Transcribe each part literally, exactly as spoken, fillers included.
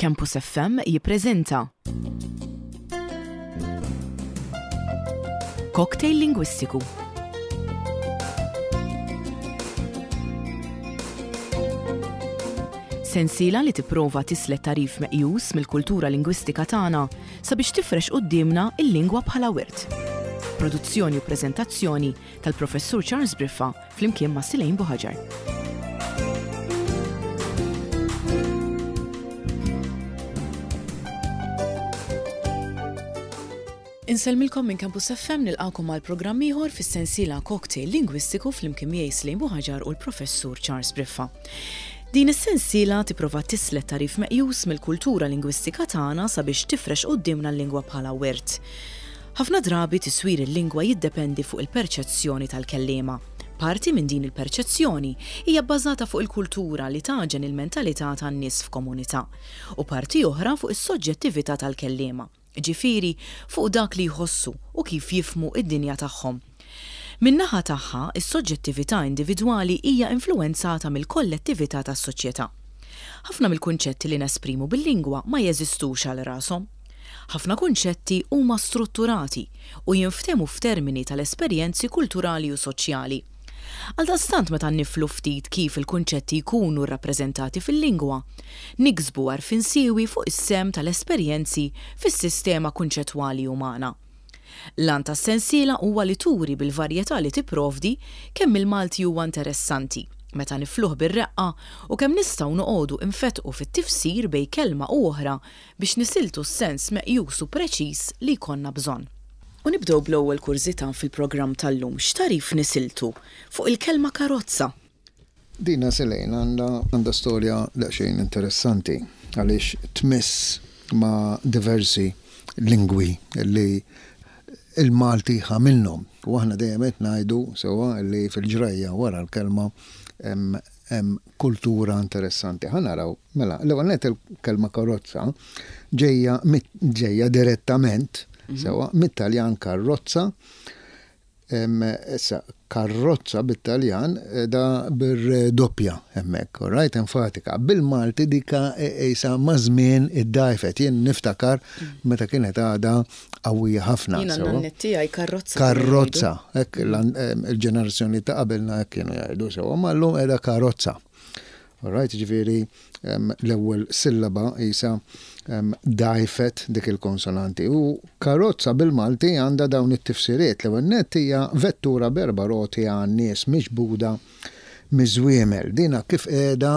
Campus F M jippreżenta Cocktail Lingwistiku. Sensiela li tipprova tislet tagħrif meqjus mill-kultura lingwistika tagħna sabiex tifrex quddiemna il-lingwa bħala wirt. Produzzjoni u preżentazzjoni tal-Professur Charles Briffa flimkien ma' Silejn Buħaġar. Insellmilkom minn Campus F M, nilqakom għal programm ieħor fis-sensiela Cocktail Lingwistiku flimkien miegħi Slejn Buħaġar u l-Professur Charles Briffa. Din is-sensiela tipprova tislet tagħrif meqjus mill-kultura lingwistika tagħna sabiex tifrex quddiemna l-lingwa bħala wirt. Ħafna drabi tiswir il-lingwa jiddependi fuq il-perċezzjoni tal-kelliema. Parti minn din il-perċezzjoni hija bbażata fuq il-kultura li taġen il-mentalità tan-nies f'komunità u parti oħra fuq is-soġġettività tal-kelliema, ġifieri fuq dak li jħossu u kif jifhmu id-dinja tagħhom. Min-naħa tagħha, is-soġġettività individwali hija influwenzata mill-kollettività tas-soċjetà. Ħafna mill-kunċetti li nesprimu bil-lingwa ma jeżistux għal rashom. Ħafna kunċetti huma strutturati u jinftehmu f'termini tal-esperjenzi kulturali u soċjali. Għaldaqstant, meta niflu ftit kif il-kunċetti jkunu rrappreżentati fil-lingwa, niksbu għarfien siewi fuq is-sehem tal-esperjenzi fis-sistema kunċettwali umana. L-għan tas-sensiela huwa li turi bil-varjetà li tipprovdi kemm il-Malti huwa interessanti meta nifluh bir-reqqa u kemm nistgħu noqogħdu infetqu fit-tifsir bejn kelma u oħra biex nisiltu s-sens meqjus u preċiż li jkollna bżonn. U nibdew bl-ewwel kurżità fil-programm tal-lum. X'tagħrif nisiltu fuq il-kelma karozza? Dina, Selejn, għandha għandha storja daqsxejn interessanti għaliex tmiss ma' diversi lingwi li il-Malti ħa minnhom. U aħna dejjem qed ngħidu sewwa li fil-ġrajja wara l-kelma hemm kultura interessanti. Ħa naraw, mela, l-ewwel nett il-kelma karozza ġejja ġejja direttament mhm. sewwa mit-Taljan karrozza. Issa, karrozza bit-Taljan eh, da bir-doppja hemmhekk, right, enfatika. Bil-Malti dika isa maż-żmien iddgħajfet. Jien niftakar meta kienet għada qawwija ħafna. Jiena n-nanniet karrozza. Karrozza, hekk il-ġenerazzjoni ta' qabelna hekk kienu jgħidu sewwa, ma llum qiegħda karozza. Alright, ġifieri l-ewwel sillaba isa dgħajfet dik il-konsonanti. U karozza bil-Malti għandha dawn it-tifsiriet. L-ewwel nett hija vettura b'erba' roti għan-nies miġbuda miż-żwiemel. Dina kif qiegħda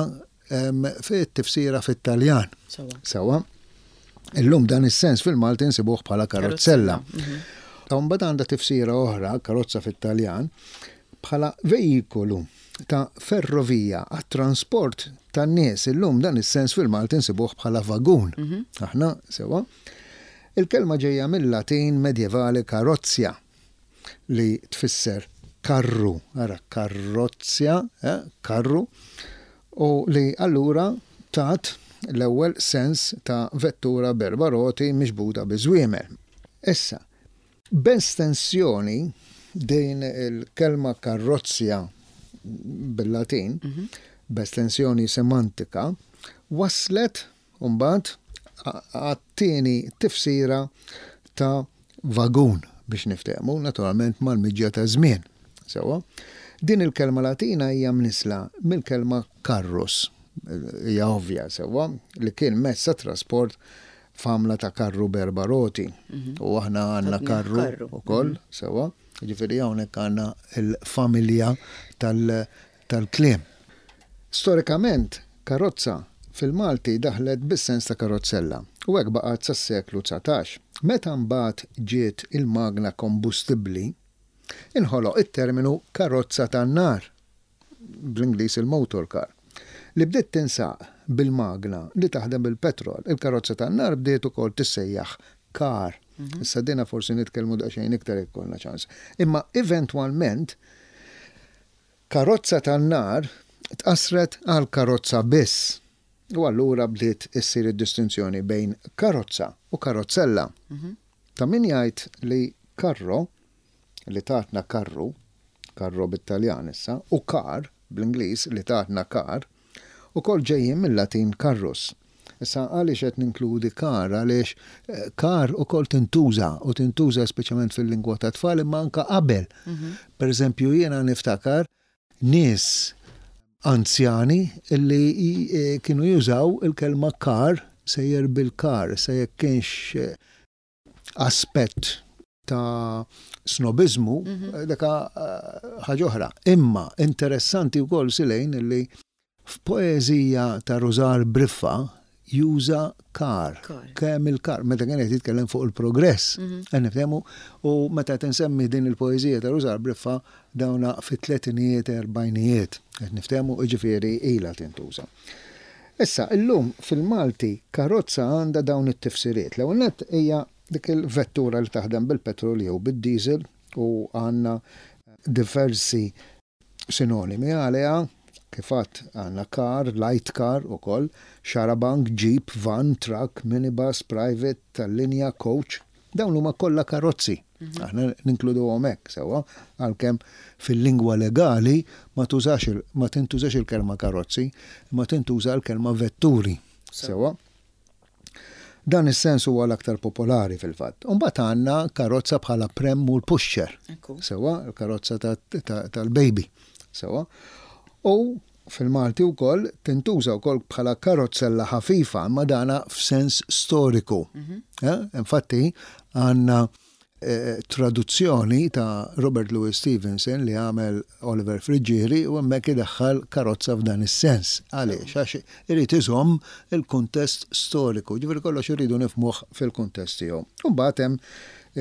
fit-tifsira fit-Taljan. Sewwa. Illum dan is-sens fil-Malti nsibuh bħala karozzella. Mhm. Mbagħad għandha tifsira oħra, karozza fit-Taljan, bħala veikolu ta' ferrovija għat-trasport tan-nies. Illum dan is-sens fil-Malti nsibuh bħala vagun. Mhm. Aħna sewwa. Il-kelma ġejja mill-Latin medjevali karozzja li tfisser karru, ara karrozzja, eh, karru, u li allura tat l-ewwel sens ta' vettura b'erba' roti miġbuda bi żwiemel. Issa, b'estensjoni din il-kelma karrozzja bil-Latin, mhm. b'estensjoni semantika, waslet mbagħad għat-tieni tifsira ta' vagun biex niftehmu, naturalment mal-miġja ta' żmien. Sewwa, din il-kelma Latina hija mnisla mill-kelma karrus, hija ovvja sewwa, li kien mezz ta' trasport f'għamla ta' karru b'erba' roti. Mhm. U aħna għandna karru ukoll, mhm. sewwa. Ġifieri hawnhekk għandna il-familja tal-kliem. Storikament, karozza fil-Malti daħlet bis-sens ta' karozzella u hekk baqgħet sas-seklu dsatax. Meta mbagħad ġiet il-magna kombustibbli, inħoloq it-terminu karozza tan-nar, bl-Ingliż il-motor car, li bdiet tinsaq bil-magna li taħdem bil-petrol. Il-karozza tan-nar bdiet ukoll tissejjaħ car. Mhm. Issa dina forsi nitkellmu daqsxejn iktar jekk ikollna ċans. Imma eventwalment karozza tan-nar tqasret għal karozza biss. U allura bdiet issir id-distinzjoni bejn karozza u karozzella. Mhm. Ta' min jgħid li karro, li tatna karru, karro bit-Taljan issa, u car bl-Ingliż li tatna car, ukoll ġejjin mill-Latin carrus. Issa, għaliex qed ninkludi car? Għaliex eh, car ukoll tintuża, u tintuża speċjalment fil-lingwa ta' tfal, imma anka qabel. Per eżempju, jiena niftakar nies anzjani illi eh, kienu jużaw il-kelma car, sejjer bil-car. Se jekk kienx eh, aspett ta' snobizmu, mm daka ħaġa oħra. Imma interessanti wkoll, Silejn, illi f'poeżija ta' Rużar Briffa juża car, Car. Kemm il-car, meta kien qed jitkellem fuq il-progress. Mm Niftehmu, u meta tinsemmi din il-poeżija ta' Rużar Briffa, dawna fit-tletinijiet, erbajnijiet. Qed niftehmu, jiġifieri ilha tintuża. Issa, illum fil-Malti karozza għandha dawn it-tifsiriet. L-ewwel nett hija dik il-vettura li taħdem bil-petrol jew bid-diesel u għandna diversi sinonimi għaliha, kif għedt, għandna car, light car ukoll, xarabank, jeep, van, truck, minibus, private, tal-linja, coach. Dawn huma kollha karozzi. Aħna ninkludu hekk sewwa, għalkemm fil-lingwa legali ma tużax il- ma tintużax il-kelma karozzi, ma tintuża l-kelma vetturi. Sewwa. Dan is-sens huwa l-aktar popolari fil-fatt. Imbagħad għandna karozza bħala pram u l-pusher. Ekku. Sewwa, il-karozza ta- ta- tal-baby. Sewwa. U fil-Malti wkoll tintuża wkoll bħala karozzella ħafifa, ma dana f'sens storiku. Eh? Infatti għandna eh, traduzzjoni ta' Robert Louis Stevenson li għamel Oliver Friggieri u hemmhekk idaħħal karozza f'dan is-sens. Għaliex? Għax irid iżomm il-kuntest storiku. Ġifieri kollox irridu nifhmuh fil-kuntest tiegħu. U mbagħad hemm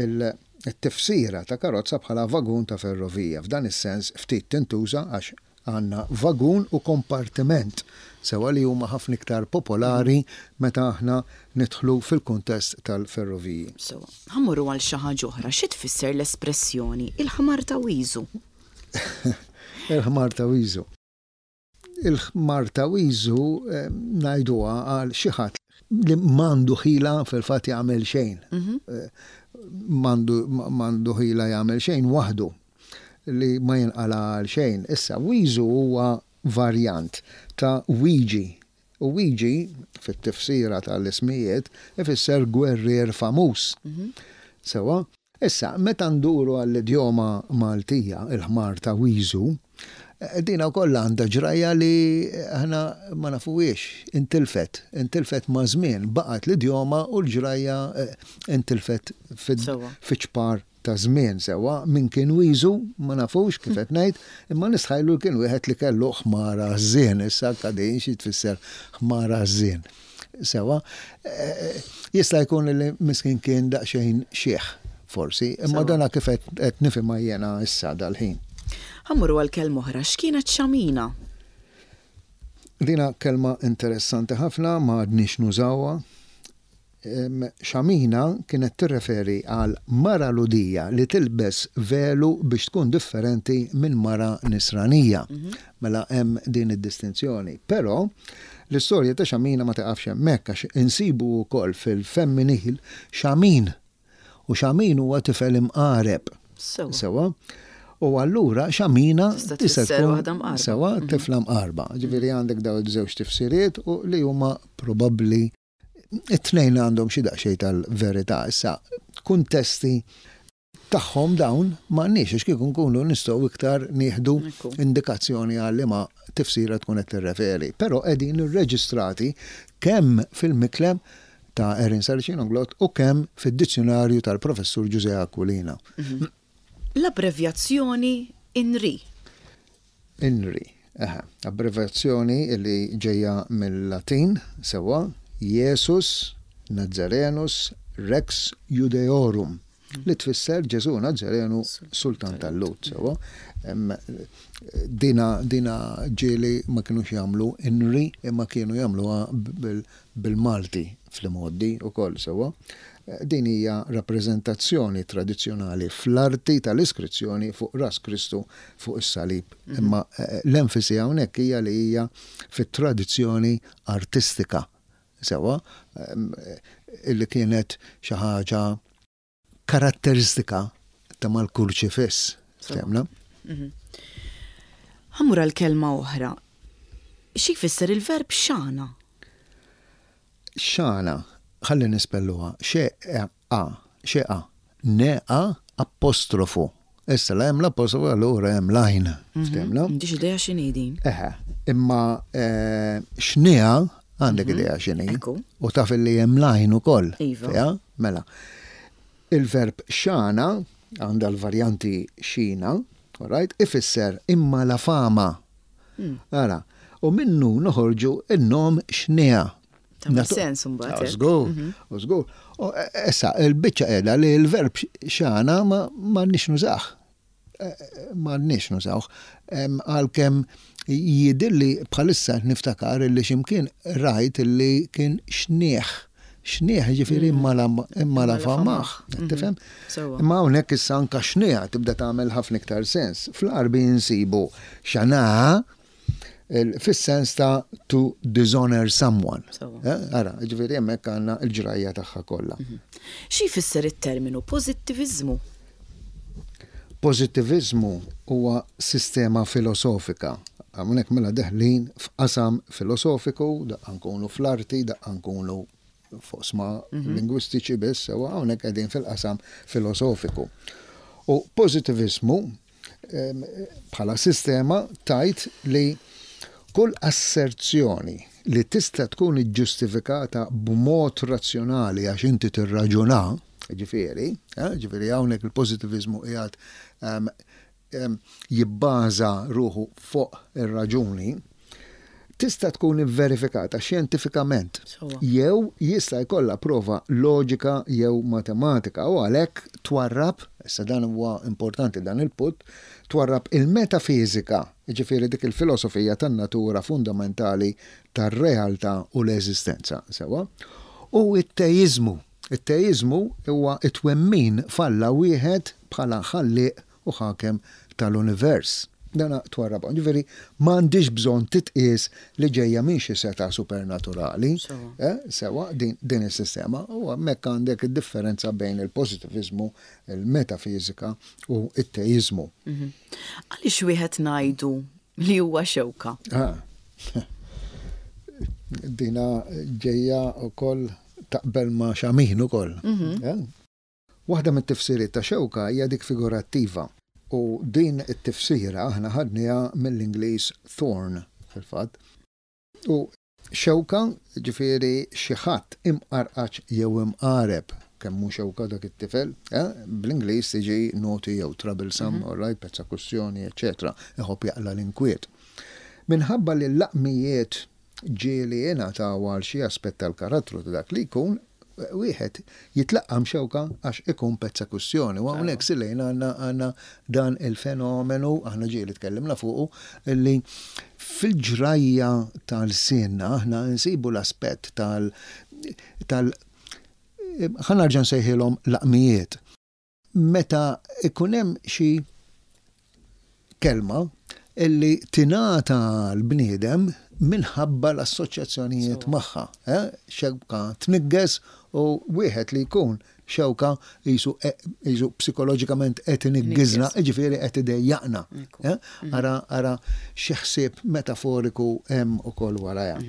il-tifsira ta' karozza bħala vagun ta' ferrovija. F'dan is-sens ftit tintuża għax għandna vagun u kompartiment sewwa, li huma ħafna iktar popolari meta aħna nidħlu fil-kuntest tal-ferroviji. So, ħa mmorru għal xi ħaġa oħra. Xi tfisser l-espressjoni il-ħmar ta' wiżu? Il-ħmar ta' wiżu. Il-ħmar ta' wiżu eh, ngħiduha għal xi ħadd li m'għandu ħila fil-fatt jagħmel xejn. Eh, M'għandu m'għandu ħila jagħmel xejn waħdu, li ma jinqala għal xejn. Issa, wiżu huwa varjant ta' Wiġi. U Wiġi, fit-tifsira tal-ismijiet, ifisser gwerrier famuż. Sewwa, issa, meta nduru għall-idjoma Maltija, il-ħmar ta' wiżu, eh, dina wkoll għandha ġrajja li aħna ma nafuhiex, intilfet, intilfet ma' żmien, baqgħet l-idjoma u l-ġrajja eh, intilfet Sewwa. fiċ-ċpar ta' żmien. Sewwa, min kien wiżu ma nafux, kif qed ngħid, imma nistħajlu kien wieħed li kellu ħmara żien. Issa kadin xi tfisser ħmara żien? Sewwa, eh, jista' jkun li miskin kien daqsxejn xiħ forsi, imma Sewwa. dana kif qed qed nifhimha jiena issa dal-ħin. Ħa mmorru għal kelma oħra. X'kienet xamina? Dina kelma interessanti ħafna, ma għadniex nużawha. Em, Xamina kienet tirreferi għal mara Lhudija li tilbes velu biex tkun differenti minn mara nisranija. Mela hemm din id-distinzjoni. Però l-istorja ta' xamina ma taqafx hemmhekk, għax insibu wkoll fil-femminil xamin. U xamin huwa tifel imqareb. Sewwa. Sewwa. U allura xamina Tista' tista' tfisser tkun waħda mqarba. Sewwa, tifla mqarba. Ġifieri għandek daw iż-żewġ tifsiriet u li huma probabbli it-tnejn għandhom xi daqsxejn tal-verità. Issa, kuntesti tagħhom dawn m'għandniex, għax kieku nkunu nistgħu iktar nieħdu Ekku. indikazzjoni għal liema tifsira tkun qed tirreferi. Però qegħdin irreġistrati kemm fil-Miklem ta' Erin Saracino Glott u kemm fid-dizzjonarju tal-professur Ġużè Aquilina. L-abbrevjazzjoni INRI. INRI, aha, abbreviazzjoni li ġejja mill-Latin, sewwa, Jesus Nazarenus Rex Judeorum, li tfisser Ġesu Nazarenu Sultan tal-Lhud, sewwa. Em, Dina, dina ġieli ma kienux jagħmlu INRI, imma kienu jagħmluha bil- bil-Malti fl-modi u koll, sewwa. Din hija rappreżentazzjoni tradizzjonali fl-arti tal-iskrizzjoni fuq ras Kristu fuq is-salib. Imma eh, l-enfasi hawnhekk hija li hija fit-tradizzjoni artistika. Sewwa, em, eh, illi kienet xi ħaġa karatteristika ta' mal-kurċifiss. Ftemna? Ħa mmur għal kelma oħra. Xi jfisser il-verb xana? Xana, ħalli nispelluha, xe a, xe a, ne a apostrofu. Issa la hemm l-apostrofu, allura hemm l-għajn. Ftemna? M'għandix idea x'inhi din. Eħe, imma eh, xnija għandek idea x'inhi. Ekku. U taf li hemm l-għajn ukoll. Iva. Fija? Mela. Il-verb xana għandha l-varjanti xina, alright, ifisser imma la fama. Hmm. Ara, u minnu noħorġu il-nom xnija. Tagħmel Natu- sens imbagħad Ah, hekk. Żgur, u żgur. U, e, Issa, il-biċċa qiegħda li l-verb xana ma ma nix nużah. E, e, Ma nix nużawh. Em, Għalkemm jidilli bħalissa niftakar li ximkien rajt li kien xnieħ. Xnieħ ġifieri imma la imma la famaħ. Tifhem? Sewwa. Imma hawnhekk issa anka xnieħ tibda tagħmel ħafna iktar sens. Fl-Għarbi nsibu xana il- fis-sens ta' to dishonor someone. Sewwa. Eh, Ara, ġifieri hemmhekk għandna l-ġrajja tagħha kollha. Xi jfisser it-terminu pożittiviżmu? Pożittiviżmu huwa sistema filosofika. Hawnhekk mela deħlin f'qasam filosofiku, daqqa nkunu fl-arti, daqqa nkunu f'oqsma lingwistiċi biss, sewa hawnhekk qegħdin fil-qasam filosofiku. U pożittiviżmu em, bħala sistema tgħid li kull asserzjoni li tista' tkun iġġustifikata b'mod razzjonali għax inti tirraġuna, ġifieri, eh, ġifieri hawnhekk il-pożittiviżmu qiegħed em, em, jibbaża ruħu fuq ir-raġuni, tista' tkun verifikata xjentifikament Sewwa. jew jista' jkollha prova loġika jew matematika u għalhekk twarrab, issa dan huwa importanti dan il-punt, twarrab il-metafizika, jiġifieri dik il-filosofija tan-natura fundamentali tar-realtà u l-eżistenza, sewwa, u it-teiżmu. It-teiżmu huwa it-twemmin f'Alla wieħed bħala ħallieq u ħakem tal-univers. Dana twarrab. Ġifieri m'għandix bżonn titqies li ġejja minn xi seta' supernaturali. Sewwa. Eh, sewa din, din is-sistema u hemmhekk għandek id-differenza bejn il-pożittiviżmu, il-metafizika u it-teiżmu. Mhm. Għaliex wieħed ngħidu li huwa xewka? Ah. Dina ġejja wkoll taqbel ma' xamin ukoll. Eh? Waħda mit-tifsiriet ta' xewka hija dik figurattiva u din it-tifsira aħna ħadniha mill-Ingliż thorn fil-fatt. U xewka ġifieri xi ħadd imqarqaċ jew imqareb kemm hu xewka dak it-tifel, eh? Bl-Ingliż tiġi naughty jew troublesome, mm -hmm. all right, pezza kwistjoni, eċetera, iħobb jaqla l-inkwiet. Minħabba li l-laqmijiet ġieli jingħataw għal xi aspett tal-karattru ta' dak li jkun, wieħed jitlaqqam xewka għax ikun pezza kwistjoni. U hawnhekk silejn għandna għandna dan il-fenomenu, aħna ġieli tkellimna fuqu, li fil-ġrajja tal-sinna aħna nsibu l-aspett tal tal ħa nerġa' nsejħilhom laqmijiet. Meta ikun hemm xi kelma illi tingħata l-bniedem minħabba l-assoċjazzjonijiet magħha. Eh? Xewka tniggeż u wieħed li jkun xewka jisu, jisu psikoloġikament qed iniggiżna, ġifieri qed idejjaqna. Eh? Ara ara xi ħsieb metaforiku hemm ukoll warajha.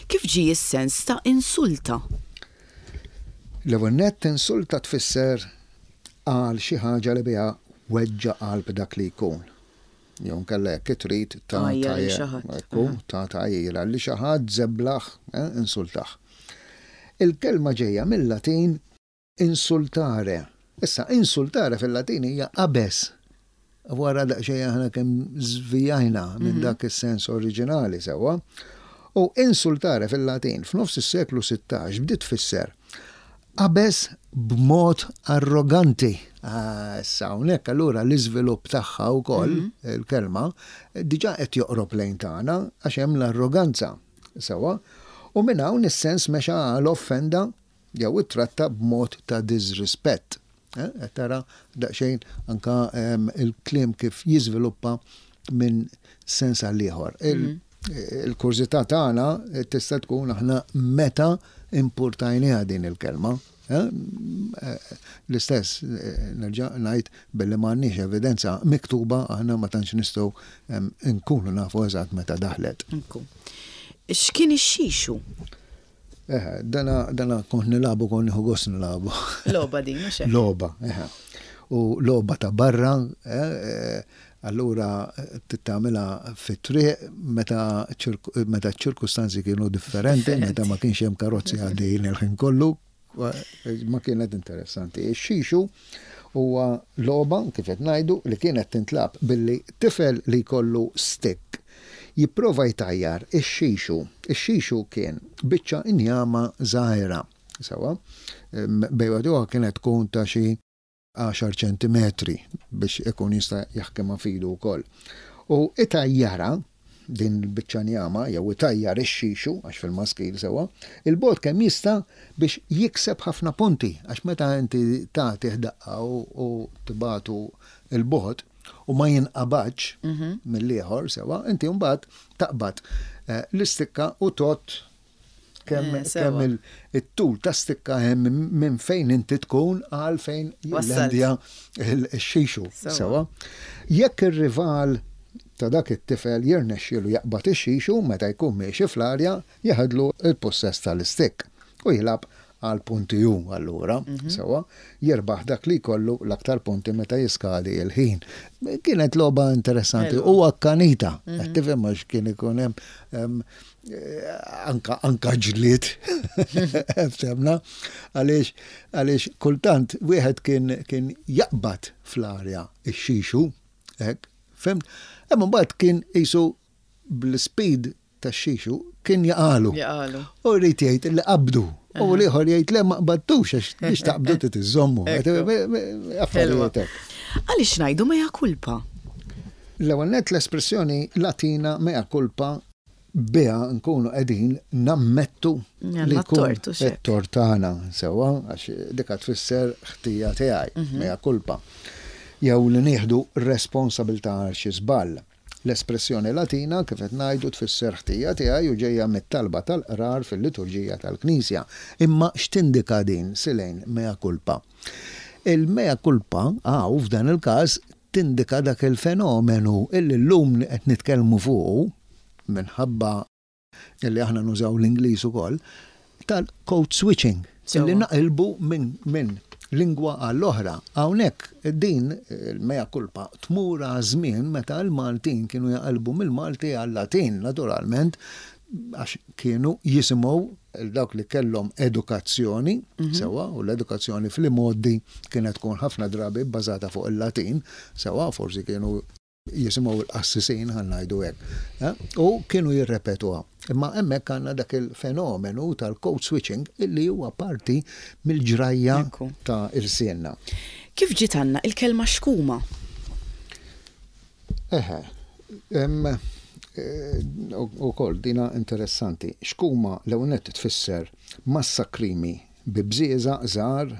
Kif ġie s-sens ta' insulta? L-ewwel nett, insulta tfisser għal xi ħaġa li biha weġġa qalb dak li jkun. Jew nkella jekk trid ta' Għajjar lil xi ħadd. Ekku, ta' tgħajjira li xi ħadd żeblaħ, eh, insultaħ. Il-kelma ġejja mill-Latin insultare. Issa, insultare fil-Latin hija qabeż. Wara daqsxejn aħna kemm żvijajna minn dak is-sens oriġinali sewwa. U insultare fil-Latin f'nofs is-seklu sittax bdiet tfisser qabeż b'mod arroganti. Ah, issa hawnhekk allura l-iżvilupp tagħha wkoll il-kelma diġà qed joqrob lejn tagħna għax hemm l-arroganza. Sewwa. U minn hawn is-sens mexa għal offenda jew ittratta b'mod ta' disrispett. Eh, qed tara daqsxejn anka em, il-kliem kif jiżviluppa minn sens għal ieħor. Il- Il-kurżità tagħna tista' tkun aħna meta importajniha din il-kelma. Eh? Eh, L-istess, eh, nerġa' ngħid, billi m'għandniex evidenza miktuba, aħna ma tantx nistgħu em, nkunu nafu eżatt meta daħlet. Ekku. X'kien ix-xixu? Eħe, dana, dana kont nilagħbu, kont nieħu gost nilagħbu. Logħba din, mhux hekk? Logħba, eħe. U logħba ta' barra, eh, eh, allura tagħmilha fit-triq meta ċirku- meta ċirkustanzi kienu differenti, meta ma kienx hemm karozzi għaddejjin il-ħin kollu, ma kienet interessanti. Ix-xixu huwa logħba, kif qed ngħidu, li kienet tintlagħab billi tifel li jkollu stick jipprova jtajjar ix-xixu. Ix-xixu kien biċċa injama żgħira. Sewwa, bejwaduha kienet tkun ta' xi għaxar ċentimetri biex ikun jista' jaħkimha f'idu wkoll. U itajjara din il-biċċa njama jew itajjar ix-xixu, għax fil-maskil, sewwa, 'il bogħod kemm jista' biex jikseb ħafna punti, għax meta inti tagħti daqqa u, u tibagħtu 'il bogħod u ma jinqabadx mill-ieħor, sewwa, inti mbagħad taqbad eh, l-istikka u tot kemm Eh, sewwa. kemm il- it-tul ta' stikka hemm minn fejn inti tkun għal fejn Wassalt. jillendja il-xixu. Sewwa. Sewwa. Jekk ir-rival ta' dak it-tifel jirnexxielu jaqbad ix-xixu meta jkun miexi fl-arja, jeħodlu il-possess tal-istik u jilgħab għal punti ju allura, sewwa, jirbaħ dak li jkollu l-aktar punti meta jiskadi il-ħin. Kienet logħba interessanti Ħelwa. u akkanita, qed tifhem, għax kien ikun hemm em, eh, anka anka ġlied, ftemna, għaliex għaliex kultant wieħed kien kien jaqbad fl-arja ix-xixu, hekk, fhimt? Imma mbagħad kien qisu bl-speed tax-xixu kien jaqagħlu. Jaqagħlu. U jrid jgħid li qabdu. U l-ieħor jgħid le, ma qbaddux, għax biex taqbdu trid iżżommu. Ekku. Affarijiet hekk. Għaliex ngħidu mea culpa? L-ewwel nett, l-espressjoni Latina mea culpa, biha nkunu qegħdin nammettu Għandna li jkun t-tort, u xek. it-tort tagħna, sewwa, għax dika tfisser ħtija tiegħi, Mhm. mea culpa. Jew li nieħdu responsabilità għal xi żball. L-espressjoni Latina, kif qed ngħidu, tfisser ħtija tiegħi u ġejja mit-talba tal-qrar fil-liturġija tal-Knisja. Imma x'tindika din, Silejn, mea culpa? Il-mea culpa għaw f'dan il-każ tindika dak il-fenomenu illi llum li qed nitkellmu fuqu minħabba illi aħna nużaw l-Ingliż ukoll, tal-code switching, Sewwa. illi naqilbu minn min lingwa għall-oħra. Hawnhekk din il-mea culpa tmur għal żmien meta l-Maltin kienu jaqilbu mill-Malti għal-Latin, naturalment, għax kienu jisimgħu dawk li kellhom edukazzjoni, sewwa, u l-edukazzjoni fl-modi kienet tkun ħafna drabi bbażata fuq il-Latin, sewwa, forsi kienu jisimgħu l-qassisin, ħa ngħidu hekk, eh? U kienu jirrepetuha. Imma hemmhekk għandna dak il-fenomenu tal-code switching illi huwa parti mill-ġrajja Ekku. ta' irsienna. Kif ġiet għandna il-kelma xkuma? Eħe, em, eh, u ukoll dina interessanti. Xkuma l-ewwel nett tfisser massa krimi bi bżieżaq żgħar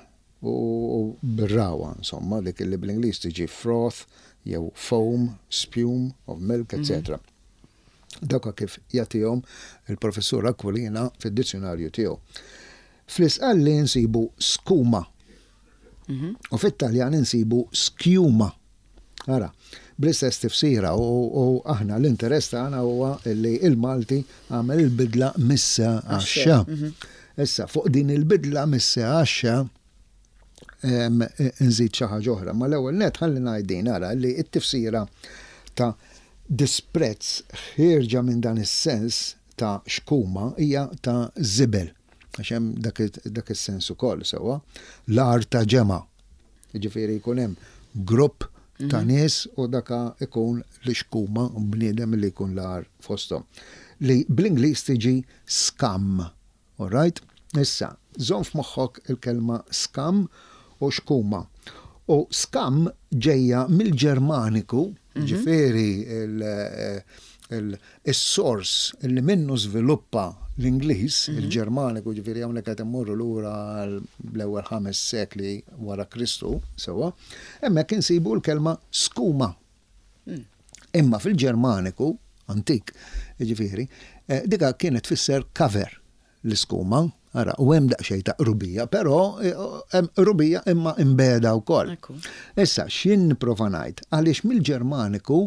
u u bir-rawa, insomma, dik li bl-Ingliż tiġi froth jew foam, spume of milk, et cetera. Dawka kif jagħtihom il-professur Aquilina fid-dizzjonarju tiegħu. Fl-Isqalli nsibu skuma u fit-Taljan insibu schiuma. Ara, bl-istess tifsira u, u aħna l-interess tagħna huwa li il-Malti għamel il-bidla mis-s għax-x. Issa, fuq din il-bidla mis-s għax-x em, nżid xi ħaġa oħra, ma l-ewwel net ħalli ngħid ara li t-tifsira ta' disprezz ħierġa minn dan is-sens ta' xkuma hija ta' żibel. Għax hemm dak dak is-sens ukoll, sewwa. L-art ta' ġemgħa. Jiġifieri jkun hemm grupp ta' nies u daka ikun li xkuma, bniedem li jkun l-agħar fosthom. Li bl-Ingliż tiġi scum. All right? Issa, żomm f'moħħok il-kelma scum u xkuma. U scum ġejja mill-Ġermaniku, ġifieri il-sors li minnu żviluppa l-Ingliż, il-Ġermaniku, ġifieri hawnhekk qed immorru lura l-ewwel ħames sekli wara Kristu, sewwa, hemmhekk insibu l-kelma skuma. Imma fil-Ġermaniku antik, ġifieri, eh, dika kienet tfisser cover l-iskuma, ara, u hemm daqsxejn ta' qrubija, però eh, hemm qrubija imma imbeda wkoll. Ekku. Issa, x'jien nipprova ngħid? Għaliex mill-Ġermaniku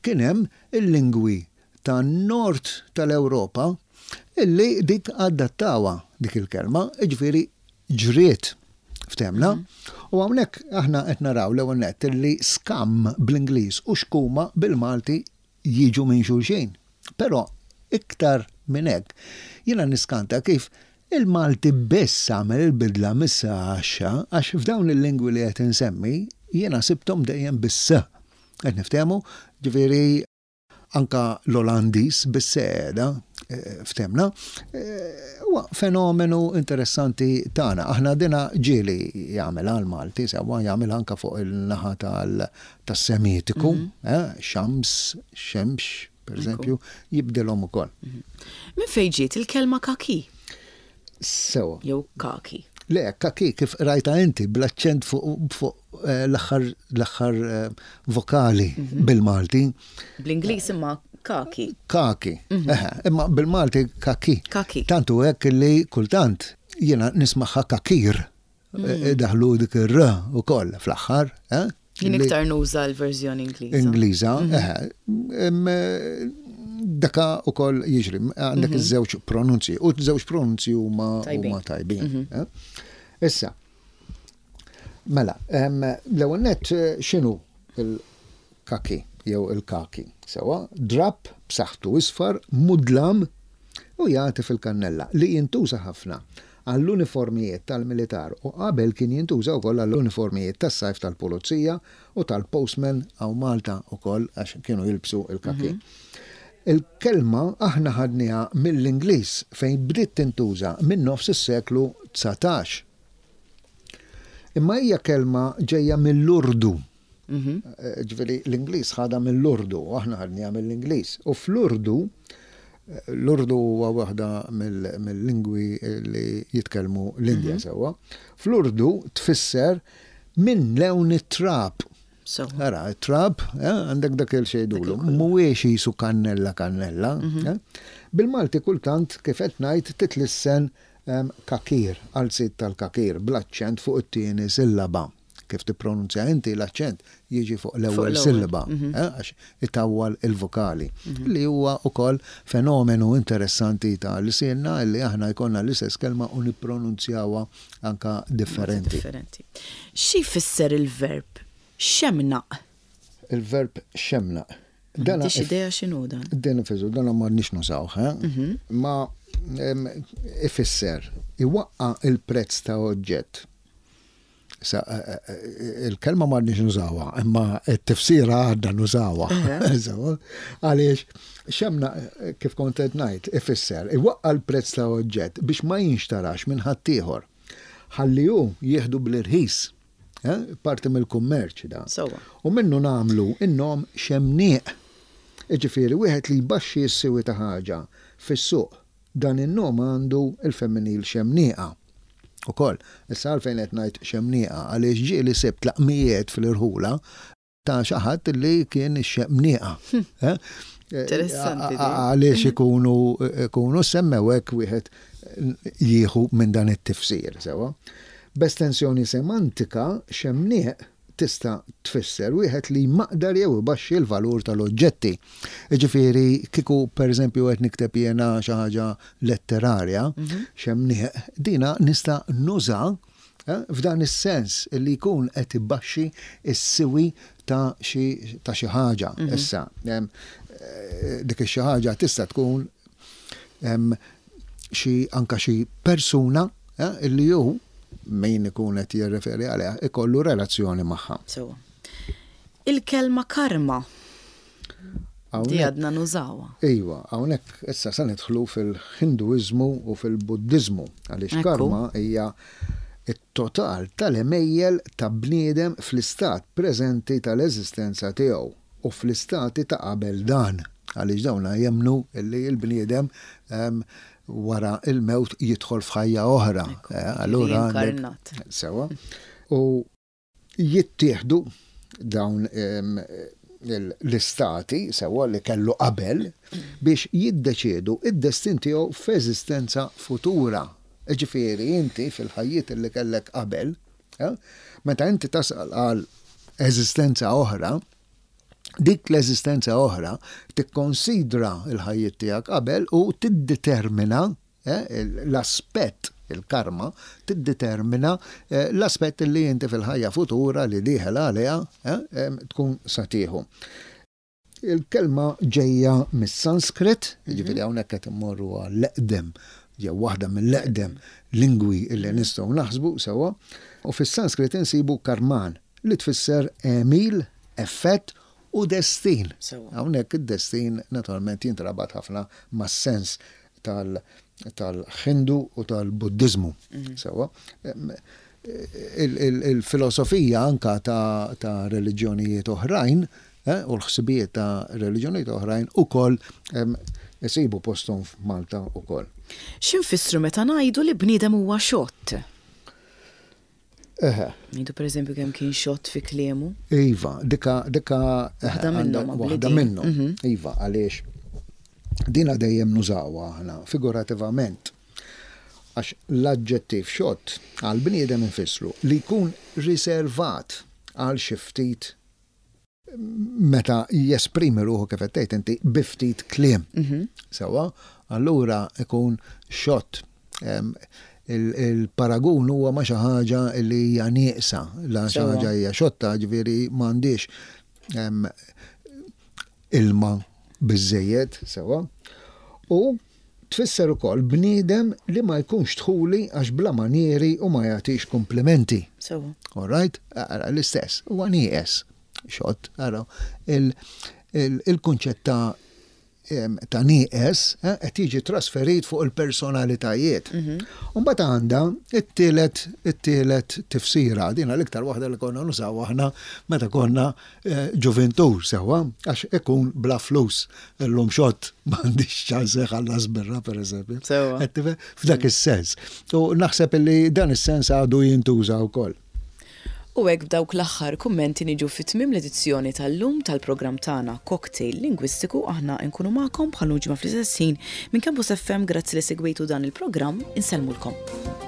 kien hemm il-lingwi ta' nord tal-Ewropa Illi dik adattawha dik il-kelma, jiġifieri ġriet, ftehmna. U hawnhekk aħna qed naraw l-ewwel nett illi scum bl-Ingliż u xkuma bil-Malti jiġu minn xulxin. Però iktar minn hekk, jiena niskanta kif il-Malti biss għamel il-bidla mis-s għax-x, għax f'dawn il-lingwi li qed insemmi jiena sibthom dejjem bis-s. Qed niftehmu, ġifieri anka l-Olandiż bis-seda, ftehmna, huwa fenomenu interessanti tagħna. Aħna dina ġieli jagħmel għal-Malti, sewwa, jagħmel anka fuq il-naħa tas-Semitiku, xams, xemx, per eżempju, jibdilhom ukoll. Min fejn ġiet il-kelma kaki? Sewa. Jew kaki. Le, kaki kif rajta inti bl-aċċent fuq l-aħħar vokali bil-Malti. Bl-Ingliż imma kaki. Kaki. Imma bil-Malti kaki. Kaki. Tantu hekk li kultant jiena nismaħħa kakir. Daħlu dik ir-r ukoll fl-aħħar. Jien iktar nuża l-verżjoni Ingliża. Ingliża, daka ukoll jiġri, għandek iż-żewġ pronunzi, u żewġ pronunzi huma huma tajbin. Issa, mela, l-ewwel nett, x'inhu il-kaki jew il-kaki? Sewwa, drab b'saħħtu isfar, mudlam u jagħti fil-kannella, li jintuża ħafna għall-uniformijiet tal-militar u qabel kien jintuża wkoll għall-uniformijiet tas-sajf tal-pulizija u tal-postman hawn Malta ukoll, għax kienu jilbsu il-kaki. Il-kelma aħna ħadniha mill-Ingliż, fejn bdiet tintuża minn nofs is-seklu dsatax. Imma hija kelma ġejja mill-Urdu. Ġifieri l-Ingliż ħadha mill-Urdu, aħna ħadniha mill-Ingliż. U fl-Urdu, l-Urdu huwa waħda mill-lingwi li jitkellmu l-Indja, sewwa. Fl-Urdu tfisser minn lewn it-trab. Ara, it-trab, għandek dak il-xejdulu, mhuwiex jisu kannella kannella. Bil-Malti kultant, kif qed ngħid, titlissen kakir, għal sit tal-kakir, bl-aċċent fuq it-tieni sillaba. Kif tippronunzja inti, l-aċċent jiġi fuq l-ewwel sillaba, għax itawwal il-vokali. Li huwa ukoll fenomenu interessanti ta' lsienna li aħna jkollna l-istess kelma u nippronunzjawha anka differenti. Xi jfisser il-verb xemnaq? Il-verb xemnaq. M'għandix idea x'inhu dan. Din ifisser, dan ma nix nużawh, ma ifisser iwaqqa il-prezz ta' oġġett. Sa, il-kelma ma nix nużawha, imma t-tifsira għadna nużawha. Għaliex, xemna, kif kont qed ngħid, ifisser iwaqqa l-prezz ta' oġġett biex ma jinxtarax minn ħaddieħor. Ħalli hu jieħdu bl-irħis. Parti mill-kummerċ da. U minnu nagħmlu in-nom xemnieq. Jiġifieri wieħed li jbaxxi s-siwi ta' ħaġa fis-suq. Dan in-nom għandu il-femminil xemnieqa. Ukoll, issa għalfejn qed ngħid xemnieqa, għaliex ġieli sibt laqmijiet fil-irħula ta' xi ħadd li kien ix-xemnieqa. Interessanti. Għaliex ikunu ikunu semmew hekk, wieħed jieħu minn dan it-tifsir, sewwa. B'estensjoni semantika, xemnieq tista' tfisser wieħed li maqdar jew ibaxxi l-valur tal-oġġetti. Jiġifieri kieku pereżempju qed nikteb jiena xi ħaġa letterarja, xemnieq, dina nista' nuża f'dan is-sens li jkun qed ibaxxi s-siwi ta' xi ta' xi ħaġa. Issa, dik ix-xi ħaġa tista' tkun xi anka xi persuna li hu min ikun qed jirreferi għaliha ikollu relazzjoni magħha. Sewwa. Il-kelma karma. Di għadna nużawha. Iva, hawnhekk issa se nidħlu fil-Hinduiżmu u fil-Buddiżmu, għaliex karma hija it-total tal-għemejjel ta' bniedem fl-istat preżenti tal-eżistenza tiegħu u fl-istati ta' qabel dan. Għaliex dawna jemmnu li l-bniedem wara il-mewt jidħol f'ħajja oħra. Allura sewwa. U jittieħdu dawn l-istati sewwa li kellu qabel biex jiddeċiedu id-destin tiegħu f'eżistenza futura. Ġifieri inti fil-ħajjiet li kellek qabel, meta inti tasal għal eżistenza oħra, Dik l-eżistenza oħra tikkonsidra il-ħajjiet tiegħek qabel u tiddetermina eh, l-aspett, il-karma, tiddetermina eh, l-aspett li inti fil-ħajja futura li dieħel għaliha eh, tkun sa tieħu. Il-kelma ġejja mis-Sanskrit, ġifieri hawnhekk qed immorru għall-eqdem jew waħda mill-eqdem lingwi illi nistgħu naħsbu sewwa, u fis-Sanskrit insibu karman li tfisser għemil, effett u destin. Hawnhekk id-destin naturalment jintrabat ħafna mas-sens tal-Ħindu u tal-Buddizmu. Mhm. Sewwa. Il-filosofija anka ta' reliġjonijiet oħrajn eh, u l-ħsibijiet ta' reliġjonijiet oħrajn ukoll isibu posthom f'Malta ukoll. X'infissru meta ngħidu li bniedem huwa xott? Eħe. Ngħidu, pereżempju, kemm kien xott fi kliemu. Iva, dika dika waħda minnhom. Waħda minnhom. Mhm. Iva, għaliex dina dejjem nużawha aħna figurativament. Għax l-aġġettiv xott għal bniedem infissru li jkun riservat għal xi ftit meta jesprimi ruħu, kif qed tgħid inti, bi ftit kliem. Mhm. Sewwa, allura ikun xott. Il-paragun huwa ma' xi ħaġa li hija nieqsa, la xi ħaġa hija xotta, ġifieri m'għandix ilma biżejjed, sewwa. U tfisser ukoll bniedem li ma jkunx dħuli għax bla manieri u ma jagħtix komplimenti. Sewwa. All right? L-istess, huwa nieqes. Xott, ara, il-kunċett ta' ta' nieqes eh, qed jiġi trasferit fuq il-personalitajiet. Mhm. Mbagħad għandha it-tielet it-tielet tifsira, din l-iktar waħda li konna nużaw aħna meta konna eh, ġuventur sewwa, għax ikun bla flus. Illum xott, m'għandix ċans ħallas birra, pereżempju. Sewwa. F'dak is-sens. U naħseb li dan is-sens għadu jintuża wkoll. U hekk, b'dawk l-aħħar kummenti, niġu fi tmiem l-edizzjoni tal-lum tal-programm tagħna Cocktail Lingwistiku. Aħna nkunu magħkom bħal ġimgħa fl-istess ħin minn Campus F M. Grazzi li segwejtu dan il-programm, insellmulkom.